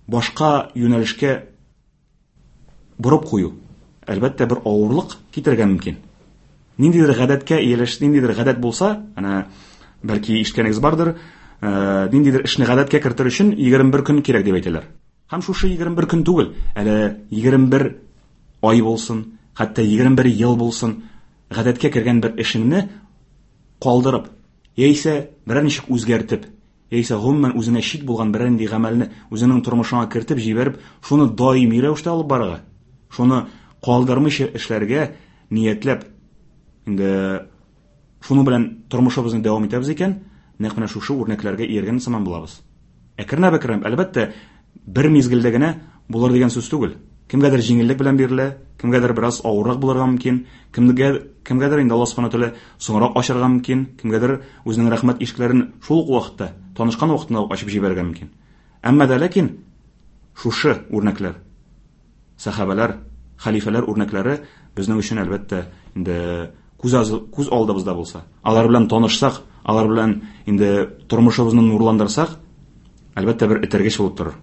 башка юнәлешкә борып кую, әлбәттә, бер авырлык китерергә мөмкин. Ниндидер гадәткә ияләш, ниндидер гадәт булса, әнә бәлки ишеткәнегез бардыр, ниндидер эшне гадәткә кертер өчен 21 көн кирәк дип әйтәләр. Һәм шушы 21 көн түгел, әле 21 ай булсын, хәтта 21 ел булсын, гадәткә кергән бер эшеңне калдырып, яисә берәр ничек үзгәртеп, яисә гомумән үзеңә чит булган берәр нинди гамәлне үзеңнең тормышыңа кертеп җибәреп, шуны даими рәвештә алып барырга, шуны калдырмыйча эшләргә ниятләп, инде шуның белән тормышыбызны дәвам итәбез икән, нәкъ менә шушы үрнәкләргә ияргән сыман булабыз. Әкренләп-әкренләп, әлбәттә, бер мизгелдә генә булыр дигән сүз түгел. Кемгәдер җиңеллек белән бирелә, кемгәдер бераз авыррак булырга мөмкин, кемгә, кемгәдер инде Аллаһ Субхану тәгалә соңрак ачарга мөмкин, кемгәдер үзенең рәхмәт ишекләрен шул ук вакытта, танышкан вакытында ук ачып җибәрергә мөмкин. Әмма дә ләкин шушы үрнәкләр, сәхабәләр, хәлифәләр үрнәкләре безнең өчен, әлбәттә, инде күз, күз алдыбызда булса, алар белән танышсак, алар белән инде тормышыбызны нурландырсак, әлбәттә, бер этәргеч булып торыр.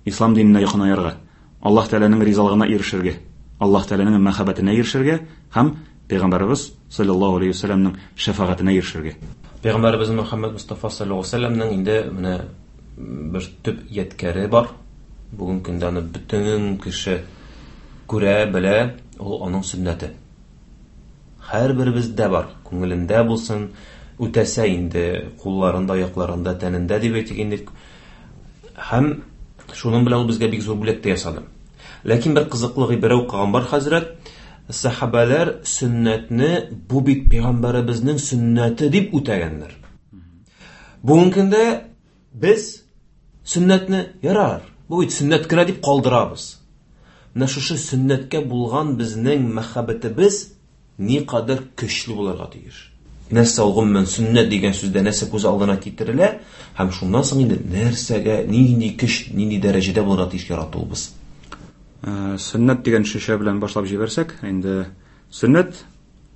Ислам диненә якынаерга, Аллаһ Тәгаләнең ризалыгына ирешергә, Аллаһ Тәгаләнең мәхәббәтенә ирешергә һәм Пәйгамбәребез саллаллаһу алейһи вәсәлләмнең шәфәгатенә ирешергә. Пәйгамбәребез Мөхәммәд Мустафа саллаллаһу алейһи вәсәлләмнең инде менә бер төп ядкәре бар. Бүгенге көндә аны бөтен кеше күрә, белә, ул аның сөннәте. Һәрберебездә бар, күңелендә булсын, үтәсә инде кулларында, аякларында, тәнендә дип әйтик инде. Һәм шуның белән ул безгә бик зур бүләк тә ясады. Ләкин бер кызыклы гыйбарә укыган бар хәзрәт, сәхабәләр сөннәтне бу бит пәйгамбәребезнең сөннәте дип үтәгәннәр. Бүгенге көндә без сөннәтне ярар, бу бит сөннәт кенә дип калдырабыз. Менә шушы сөннәткә булган безнең мәхәббәтебез никадәр көчле булырга тиеш. Нәрсә ул гомумән сөннәт дигән сүздә нәрсә күз алдына китерелә һәм шуннан соң инде нәрсәгә, нинди көч, нинди дәрәҗәдә булырга тиеш яратуыбыз? Сөннәт дигән шешә белән башлап җибәрсәк, инде сөннәт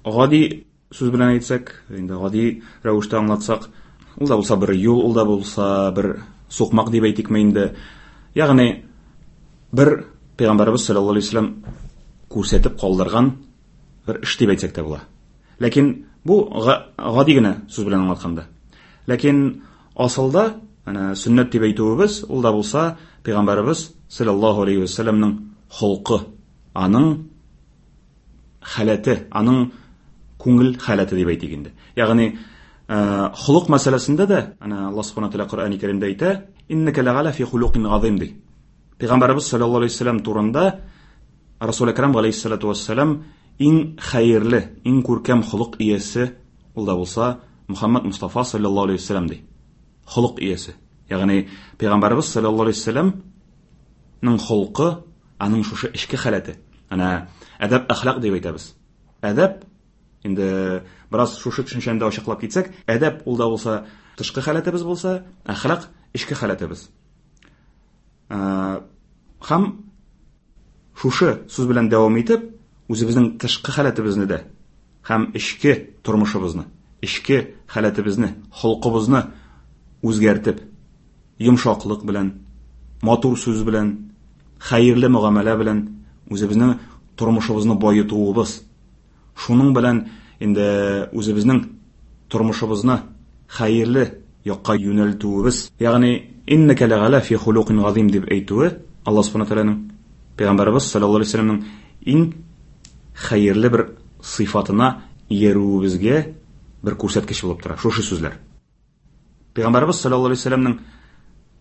гади сүз белән әйтсәк, инде гади рәвештә аңлатсак, ул да булса бер юл, ул да булса бер сукмак дип әйтикме инде. Ягъни бер пәйгамбәребез саллаллаһу алейһи вәсәлләм күрсәтеп калдырган бер эш дип әйтсәк тә була. Ләкин бу гади генә сүз белән аңлатканда. Ләкин асылда, әнә сөннәт дип әйтүебез, ул да булса пәйгамбәребез саллаллаһу алейһи вәсәлләмнең холкы, аның халәте, аның күңел халәте дип әйтик инде. Ягъни, холык мәсьәләсендә дә, әнә Аллаһ субхана тәгалә Коръәни Кәримдә әйтә, иннәкә ләгалә фи хулукин газыйм ди. Пәйгамбәребез саллаллаһу алейһи вәсәлләм турында Расул Әкрам галәйһиссалату вәссәлам иң хәерле, иң күркәм холык иясе ул да булса Мухаммад Мустафа саллаллаһу алейһи вәсәлләм ди. Холык иясе. Ягъни Пәйгамбәребез саллаллаһу алейһи вәсәлләмнең холкы, аның шушы эчке халәте. Әнә әдәп әхлак дип әйтәбез. Әдәп инде бераз шушы төшенчәне дә ачыклап китсәк, әдәп ул да булса тышкы халәтебез булса, әхлак эчке халәтебез. Һәм шушы сүз белән дәвам итеп, үзебезнең тышкы халәтебезне дә һәм эчке тормышыбызны, эчке халәтебезне, холкыбызны үзгәртеп, йомшаклык белән, матур сүз белән, хәерле мөгамәлә белән үзебезнең тормышыбызны баетуыбыз, шуның белән инде үзебезнең тормышыбызны хәерле якка юнәлтүебез, ягъни иннәкә ләгалә фи хулукин газим дип әйтүе Аллаһ субхана тәгаләнең пәйгамбәребез саллаллаһу алейһи вәсәлләмнең иң хәерле бер сыйфатына иярүебезгә бер күрсәткеч булып тора. Шушы сүзләр. Пәйгамбәребез саллаллаһу алейһи вәсәлләмнең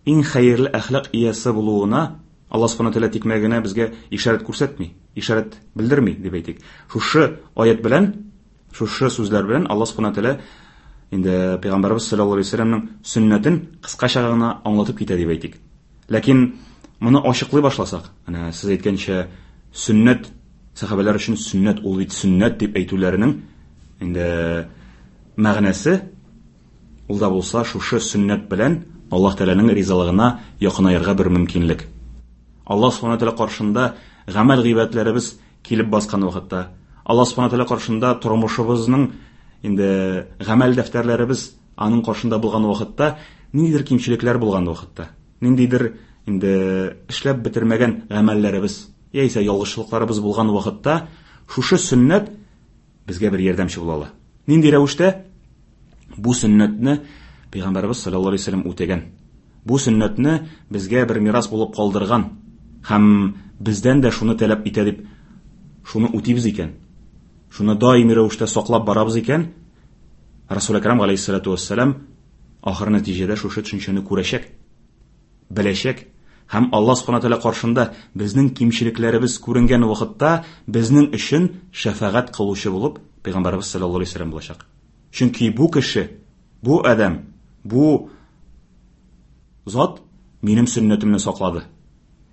иң хәерле әхлак иясе булуына Аллаһ Субхану Тәгалә тикмә генә безгә ишарәт күрсәтми, ишарәт белдерми дип әйтик. Шушы аят белән, шушы сүзләр белән Аллаһ Субхану Тәгалә инде Пәйгамбәрбез саллаллаһу алейһи вәсәлләмнең сөннәтен кыскача гына аңлатып китә дип әйтик. Ләкин моны ачыклый башласак, әнә сез әйткәнчә, сөннәт сәхабәләр өчен сөннәт ул бит сөннәт дип әйтүләренең инде мәгънәсе ул да булса шушы сөннәт белән Аллаһ Тәгаләнең ризалыгына якынаерга бер мөмкинлек. Аллаһ Субхану Тәгалә каршында гамәл гыйбадәтләребез килеп баскан вакытта, Аллаһ Субхану Тәгалә каршында тормышыбызның инде гамәл дәфтәрләребез аның каршында булган вакытта, ниндидер кимчелекләр булган вакытта, ниндидер инде эшләп бетермәгән гамәлләребез яисә ялгышлыкларыбыз булган вакытта, шушы сөннәт безгә бер ярдәмче була ала. Нинди рәвештә? Бу сөннәтне Пәйгамбәрбез саллаллаһу алейһи вәсәлләм үтәгән. Бу сөннәтне безгә бер мирас булып калдырган һәм бездән дә шуны таләп итә дип шуны үтибез икән, шуны даими рәвештә саклап барабыз икән, Расул Әкрам галәйһиссалату вассалам ахыр нәтиҗәдә шушы төшенчәне күрәчәк, беләчәк һәм Аллаһ Субхану Тәгалә каршында безнең кимчелекләребез күренгән вакытта безнең өчен шәфәгать кылучы булып Пәйгамбәрбез саллаллаһу алейһи вәсәлләм булачак. Чөнки бу кеше, бу адәм, бу зат минем сөннәтемне саклады.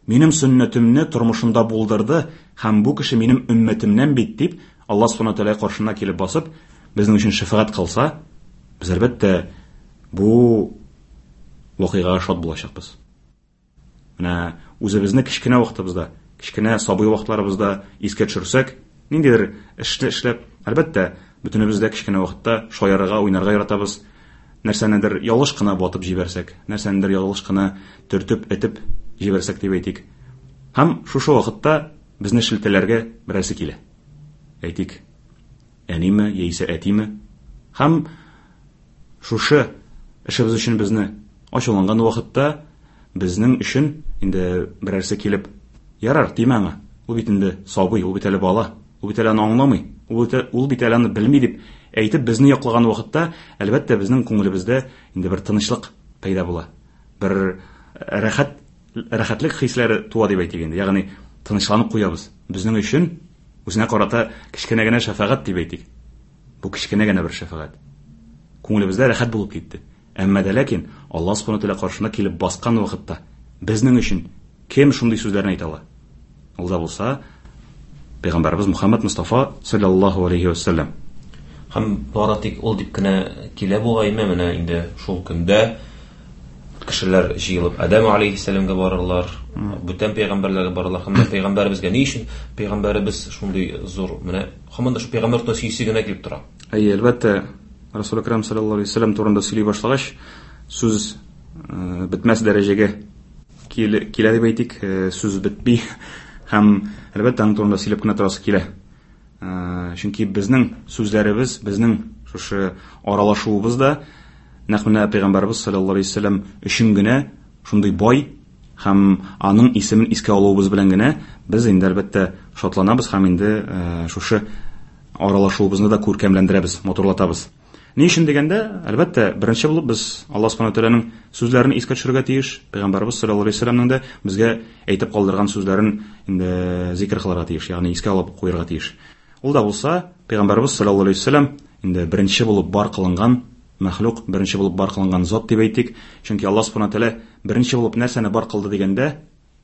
Минем сөннәтемне тормышында булдырды һәм бу кеше минем өммәтемнән бит дип Аллаһ Субхану Тәгалә каршына килеп басып, безнең өчен шәфәгать кылса, без әлбәттә бу вакыйгага шат булачакбыз. Менә үзебезне кечкенә вакытыбызда, кечкенә сабый вакытларыбызда искә төшерсәк, ниндидер эшне эшләп, әлбәттә, бөтенебез дә кечкенә вакытта шаярырга, уйнарга яратабыз. Нәрсәнедер ялгыш кына батып җибәрсәк, нәрсәнедер ялгыш кына төртеп, этеп җибәрсәк дип әйтик. Һәм шушы вакытта безне шелтәләргә берәрсе килә. Әйтик, әниме яисә әтиме? Һәм шушы эшебез өчен безне ачуланган вакытта безнең өчен инде берәрсе килеп, ярар, тимә аңа, ул бит инде сабый, ул бит әле бала, ул бит әле аны аңламый, ул бит әле аны белми дип әйтеп безне яклаган вакытта, әлбәттә, безнең күңелебездә инде бер тынычлык пәйда була. Бер рәхәт, рәхәтлек хисләре туа дип әйтик инде. Ягъни тынычланып куябыз. Безнең өчен үзенә карата кечкенә генә шәфәгать дип әйтик. Бу кечкенә генә бер шәфәгать. Күңелебездә рәхәт булып китте. Әмма дә ләкин Аллаһ Субхану Тәгалә каршына килеп баскан вакытта безнең өчен кем шундый сүзләрне әйтә ала? Ул да булса Пәйгамбәребез Мухаммад Мустафа саллаллаһу алейхи ва саллям. Һәм бары тик ул дип кенә килә бугаймы, менә инде шул көндә кешеләр җыелып Адәм алейхиссәламгә барырлар, бүтән пәйгамбәрләргә барырлар һәм пәйгамбәребезгә ни өчен пәйгамбәребез шундый зур, менә һаман да шул пәйгамбәр турында сөйсе генә килеп тора. Әйе, әлбәттә, Расул Әкрам саллаллаһу алейһи ва саллям турында сөйли башлагач, сүз бетмәс дәрәҗәгә килә дип әйтик, сүз бетми һәм әлбәттә аның турында сөйләп кенә торасы килә. Чөнки безнең сүзләребез, безнең шушы аралашуыбыз да нәкъ менә Пәйгамбәребез саллаллаһу алейһи ва саллям өчен генә шундый бай һәм аның исемен искә алуыбыз белән генә без инде әлбәттә шатланабыз һәм инде шушы аралашуыбызны да күркәмләндерәбез, матурлатабыз. Ни өчен дигәндә, әлбәттә, беренче булып без Аллаһ Субхану Тәгаләнең сүзләрен искә төшерергә тиеш, Пәйгамбәребез саллаллаһу алейһи ва сәлләмнең дә безгә әйтеп калдырган сүзләрен инде зикр кылырга тиеш, ягъни искә алып куярга тиеш. Ул да булса, Пәйгамбәребез саллаллаһу алейһи ва сәлләм инде беренче булып бар кылынган мәхлук, беренче булып бар кылынган зат дип әйтик, чөнки Аллаһ Субхану Тәгалә беренче булып нәрсәне бар кылды дигәндә,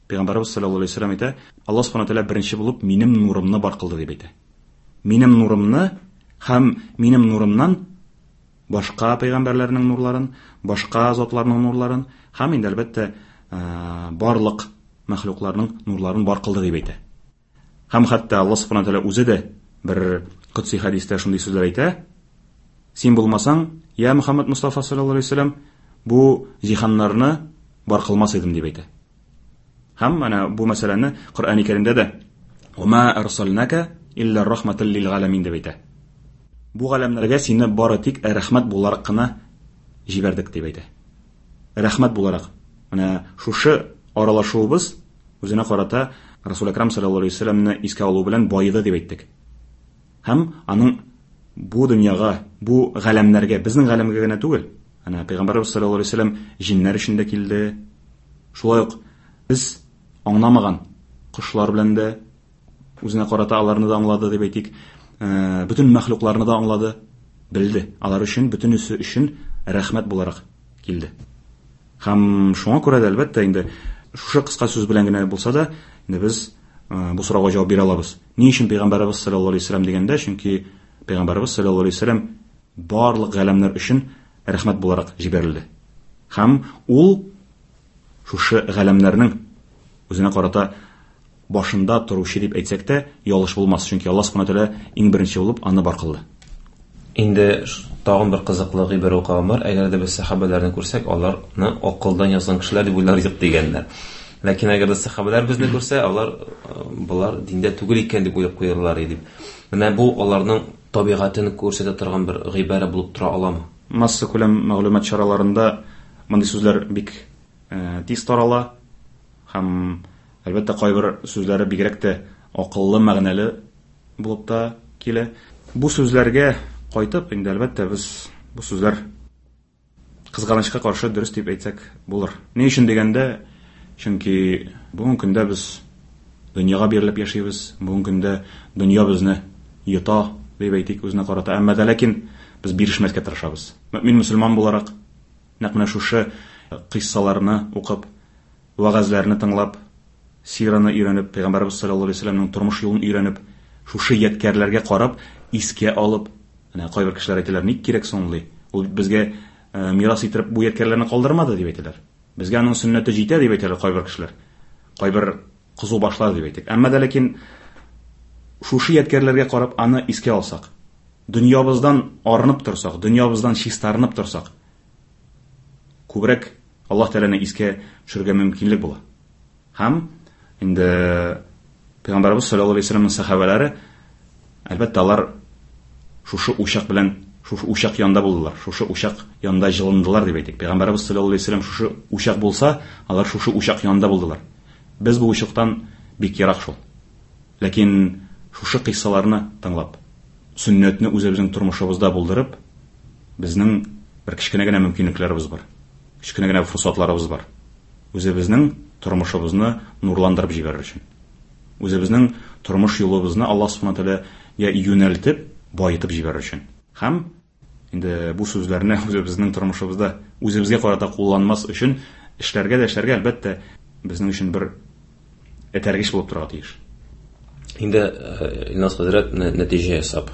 Пәйгамбәребез саллаллаһу алейһи ва сәлләм әйтә, Аллаһ Субхану Тәгалә беренче булып минем нурымны бар кылды дип әйтә. Минем нурымны һәм минем нурымнан башка пәйгамбәрләрнең нурларын, башка затларның нурларын һәм инде әлбәттә барлык мәхлукларның нурларын бар кылды дип әйтә. Һәм хәтта Аллаһ Субхану Тәгалә үзе дә бер котси хәдистә шундый сүзләр әйтә: Син булмасаң, я Мөхәммәд Мустафа саллаллаһу алейһи ва сәлләм, бу җиһаннарны бар кылмас идем дип әйтә. Һәм менә бу мәсьәләне Коръән Кәримдә дә Ва арсалнака илля рахматан лил галамин дип әйтә. Бу галәмнәргә сине бары тик рәхмәт буларак кына җибәрдек дип әйтә. Рәхмәт буларак. Менә шушы аралашуыбыз үзенә карата Расул Әкрам саллаллаһу алейһи ва сәлләмне искә алу белән баеды дип әйттек. Һәм аның бу дөньяга, бу галәмнәргә, безнең галәмгә генә түгел, әнә Пәйгамбәрбез саллаллаһу алейһи ва сәлләм җиннәр өчен дә килде, Шулай ук без аңламаган кошлар белән дә үзенә карата аларны да аңлады дип әйтик. Бөтен мәхлукларны да аңлады, белде. Алар өчен, бөтенесе өчен рәхмәт буларак килде. Һәм шуңа күрә дә, әлбәттә, инде шушы кыска сүз белән генә булса да, инде без бу сорауга җавап бирә алабыз. Ни өчен пәйгамбәребез саллаллаһу алейһи вәсәлләм дигәндә, чөнки пәйгамбәребез саллаллаһу алейһи вәсәлләм барлык галәмнәр өчен рәхмәт буларак җибәрелде. Һәм ул шушы галәмнәрнең үзенә карата башында торучы дип әйтсәк тә, ялгыш булмас, чөнки Аллаһ Субхана Тәгалә иң беренче булып аны бар кылды. Инде тагын бер кызыклы гыйбарә укыган бар, әгәр дә без сәхабәләрне күрсәк, аларны акылдан язган кешеләр дип уйлар идек дигәннәр. Ләкин әгәр дә сәхабәләр безне күрсә, алар болар диндә түгел икән дип уйлап куярлар иде дип. Менә бу аларның табигатен күрсәтә торган бер гыйбарә булып тора аламы? Массакүләм мәгълүмат чараларында мондый сүзләр бик тиз тарала һәм, әлбәттә, кайбер сүзләре бигрәк тә акыллы, мәгънәле булып та килә. Бу сүзләргә кайтып, инде, әлбәттә, без бу сүзләр кызганычка каршы дөрес дип әйтсәк булыр. Ни өчен дигәндә, чөнки бүгенге көндә без дөньяга бирелеп яшибез, бүгенге көндә дөнья безне йота, дип әйтик, үзенә карата. Әмма дә ләкин без бирешмәскә тырышабыз. Мөэмин мөселман буларак, нәкъ менә шушы кыйссаларны укып, вәгазьләрне тыңлап, сираны өйрәнеп, Пәйгамбәребез саллаллаһу алейһи ва сәлләмнең тормыш юлын өйрәнеп, шушы ядкәрләргә карап, искә алып, менә кайбер кешеләр әйтәләр, ник кирәк соң ул, ди. Ул бит безгә мирас иттереп бу ядкәрләрне калдырмады, дип әйтәләр. Безгә аның сөннәте җитә, дип әйтәләр кайбер кешеләр. Кайбер кызу башлар, дип әйтик. Әмма дә ләкин шушы ядкәрләргә карап аны искә алсак, дөньябыздан арынып торсак, дөньябыздан чистарынып торсак, күбрәк Аллаһ Тәгаләне искә төшерергә мөмкинлек була. Һәм инде Пәйгамбәребез саллаллаһу алейһи ва сәлләмнең сәхабәләре, әлбәттә, алар шушы учак белән, шушы учак янында булдылар, шушы учак янында җылындылар дип әйтик. Пәйгамбәребез саллаллаһу алейһи ва сәлләм шушы учак булса, алар шушы учак янында булдылар. Без бу учактан бик ерак шул. Ләкин шушы кыйссаларны тыңлап, сөннәтне үзебезнең тормышыбызда булдырып, безнең бер кечкенә генә мөмкинлекләребез бар. Кечкенә генә форсатларыбыз бар. Үзебезнең тормышыбызны нурландырып җибәрер өчен. Үзебезнең тормыш юлыбызны Аллаһ Субхана Тәгаләгә юнәлтеп, баетып җибәрер өчен. Һәм инде бу сүзләрне үзебезнең тормышыбызда үзебезгә карата кулланмас өчен эшләргә дә эшләргә, әлбәттә, безнең өчен бер этәргеч булып торырга тиеш. Инде Илназ хәзрәт нәтиҗә ясап,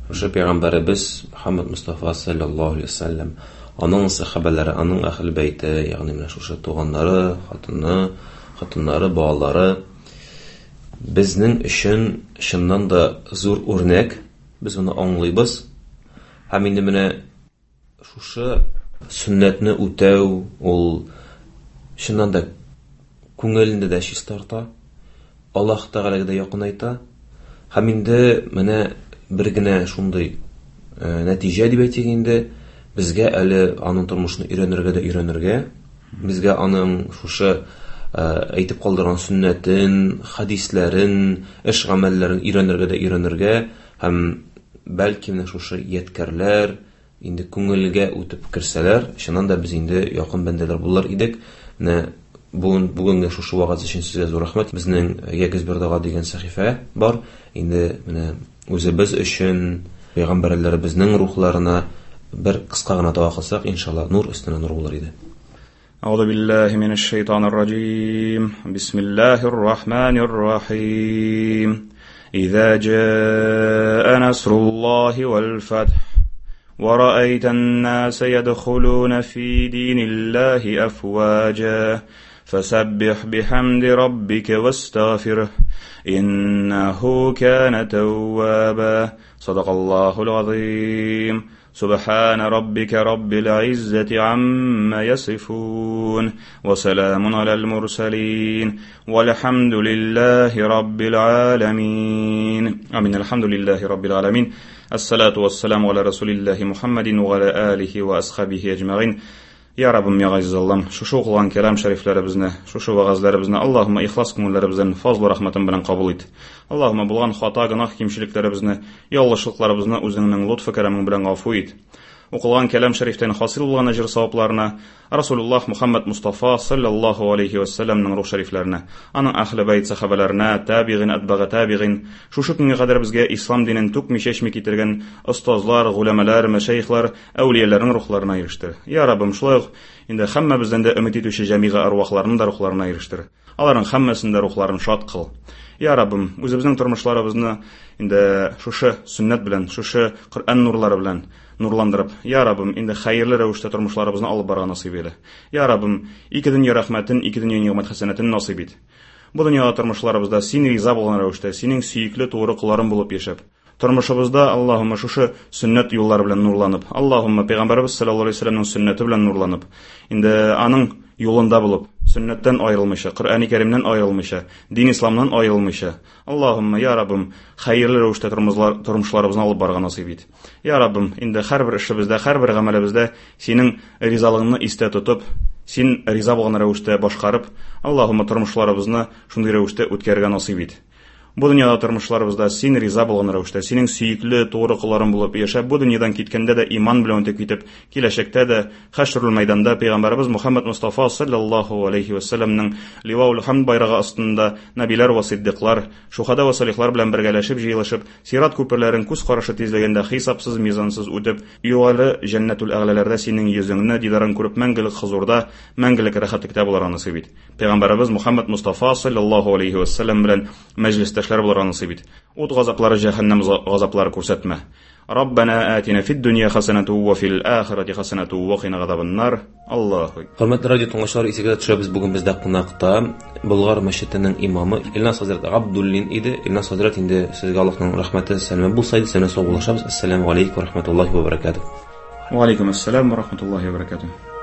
шушы пәйгамбәребез Мөхәммәд Мустафа саллаллаһу алейһи ва сәлләм, аның сәхабәләре, аның әһле бәйте, ягъни менә шушы туганнары, хатыны, хатыннары, балалары безнең өчен чыннан да зур үрнәк, без моны аңлыйбыз. Һәм инде менә шушы сөннәтне үтәү ул чыннан да күңелне дә чистарта, Аллаһ Тәгаләгә дә якынайта. Һәм инде менә бер генә шундый нәтиҗә дип әйтик инде, безгә әле аның тормышын өйрәнергә дә өйрәнергә, безгә аның шушы әйтеп калдырган сөннәтен, хәдисләрен, эш гамәлләрен өйрәнергә дә өйрәнергә һәм бәлки менә шушы ядкәрләр инде күңелгә үтеп керсәләр, чыннан да без инде якын бәндәләр булыр идек. Менә бүген бүгенге шушы вәгазь өчен сезгә зур рәхмәт. Безнең Ягез бер дога дигән сәхифә бар. Инде менә үзебез өчен пәйгамбәрләребезнең рухларына бер кыска гына дога кылсак, иншалла, нур өстенә нур булыр иде. أعوذ بالله من الشيطان الرجيم بسم الله الرحمن الرحيم إذا جاء نصر الله والفتح ورأيت الناس يدخلون في دين الله أفواجا فسبح بحمد ربك واستغفره إنه كان توابا صدق الله العظيم سبحان ربك رب العزة عما يصفون وسلام على المرسلين والحمد لله رب العالمين آمين الحمد لله رب العالمين الصلاة والسلام على رسول الله محمد وعلى آله وأصحابه أجمعين Я Раббым, я Газиз Аллам, шушы укылган кәлам шәрифләребезне, шушы вәгазьләребезне Аллаһума ихлас күңелләребездән фазлы рәхмәтең белән кабул ит. Аллаһума булган хата, гөнаһ, кимчелекләребезне, ялгышлыкларыбызны үзеңнең лотфы кәрәмең белән гафу ит. Укылган кәлам шәрифтән хасил булган әҗер савапларына, Расулуллаһ Мухаммад Мустафа саллаллаһу алейхи ва сәлләмнең рух шәрифләренә, аның әһле бәйт сахабаларына, табигин, атбага табигин, шушы көнгә кадәр безгә ислам динен түкми-чәчми китергән остазлар, голәмәләр, мәшәйхләр, әүлияләрнең рухларына ирештер. Я Раббым, шулай ук инде һәммәбездән дә өмет итүче җәмига арвахларның да рухларына ирештер. Аларның һәммәсен дә рухларын шат кыл. Я Раббым, үзебезнең тормышларыбызны инде шушы сөннәт белән, шушы Коръән нурлары белән нурландырып, Я Раббым, инде хәерле рәвештә тормышларыбызны алып барырга насыйп әйлә. Я Раббым, ике дөнья рәхмәтен, ике дөнья нигъмәт хәсәнәтен насыйп ит. Бу дөньяда тормышларыбызда син риза булган рәвештә, синең сөекле тугры колларың булып яшәп, тормышыбызда Аллаһумма шушы сөннәт юллары белән нурланып, Аллаһумма пәйгамбәребез саллаллаһу алейһи вәсәлләмнең сөннәте белән нурланып, инде аның юлында булып, сөннәттән аерылмыйча, Коръәни Кәримнән аерылмыйча, дин исламнан аерылмыйча, Аллаһумма я Раббым, хәерле рәвештә тормышларыбызны алып барырга насыйп ит. Я Раббым, инде һәрбер эшебездә, һәрбер гамәлебездә синең ризалыгыңны истә тотып, син риза булган рәвештә башкарып, Аллаһумма тормышларыбызны шундый рәвештә үткәрергә насыйп ит. Бу дөньяда тормышларыбызда син риза булган рәвештә, синең сөекле, тугры колларың булып яшәп, бу дөньядан киткәндә дә иман белән үтеп китеп, киләчәктә дә хәшрул мәйданда пәйгамбәребез Мухаммад Мустафа саллаллаһу алейхи ва сәлләмнең Ливаул хамд байрагы астында нәбиләр ва сиддиклар, шухада ва салихлар белән бергәләшеп җыелышып, сират күперләрен күз карашы тизлегендә хисапсыз, мизансыз үтеп, югары җәннәтул әгъләләрдә синең йөзеңне, дидарың күреп, мәңгелек хозурда, мәңгелек рәхәтлектә булырга насыйп ит. Пәйгамбәребез Мухаммад Мустафа саллаллаһу алейхи ва сәлләм белән мәҗлестәшләр булырга насыйп ит. Ут газаплары, җәһәннәм газаплары күрсәтмә. Раббана атина фид дөнья хасанату ва фил ахирати хасанату ва кина газабаннар. Аллаһу. Хөрмәтле радио тыңлаучылар, исегезгә төшерәбез, бүген бездә кунакта Болгар мәчетенең имамы Илназ хәзрәт Габдуллин иде. Илназ хәзрәт, инде сезгә Аллаһның рәхмәте, сәламе булса иде, сезне саубуллашабыз. Ассаламу алейкум ва рахматуллаһи ва баракатуһ. Ва алейкум ассалам ва рахматуллаһи ва баракатуһ.